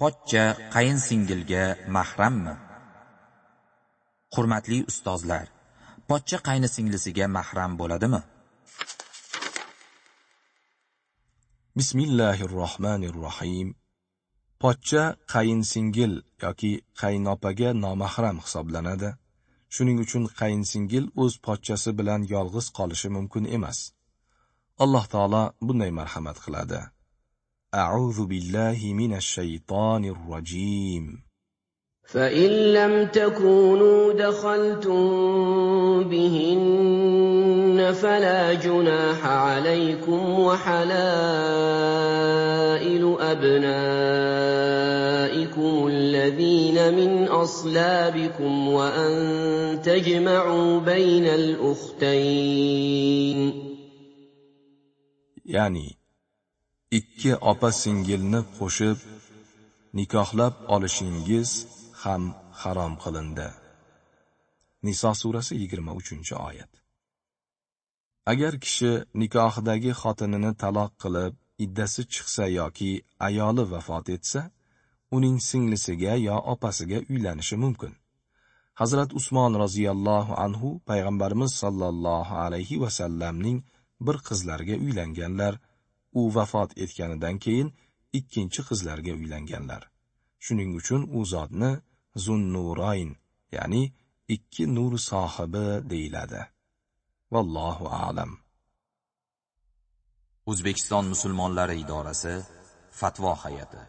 Pochcha qayinsingilga mahrammi? Hurmatli ustozlar, pochcha qaynisinglisiga mahram bo'ladimi? Bismillahirrohmanirrohim. Pochcha qayinsingil yoki qaynopaga nomahram hisoblanadi. Shuning uchun qayinsingil o'z pochchasi bilan yolg'iz qolishi mumkin emas. Alloh taolo bunday marhamat qiladi. A'udhu billahi minash shaytonir rojim. فَإِن لَّمْ تَكُونُوا دَخَلْتُم بِهِنَّ فَلَا جُنَاحَ عَلَيْكُمْ وَحَلَائِلُ أَبْنَائِكُمُ الَّذِينَ مِنْ أَصْلَابِكُمْ وَأَن تَجْمَعُوا بَيْنَ الْأُخْتَيْنِ. Ya'ni ikki opa-singilni qo'shib nikohlab olishingiz ham harom qilindi. Niso surasi 23-oyat. Agar kishi nikohidagi xotinini taloq qilib, iddasi chiqsa yoki ayoli vafot etsa, uning singlisiga yo opasiga uylanishi mumkin. Hazrat Usmon roziyallohu anhu payg'ambarimiz sallallohu alayhi va sallamning bir qizlariga uylanganlar, u vafot etganidan keyin ikkinchi qizlarga uylanganlar. Shuning uchun u zotni Zunnurayn, ya'ni ikki nur sohibi deyiladi. Vallohu a'lam. O'zbekiston musulmonlari idorasi Fatvo hay'ati.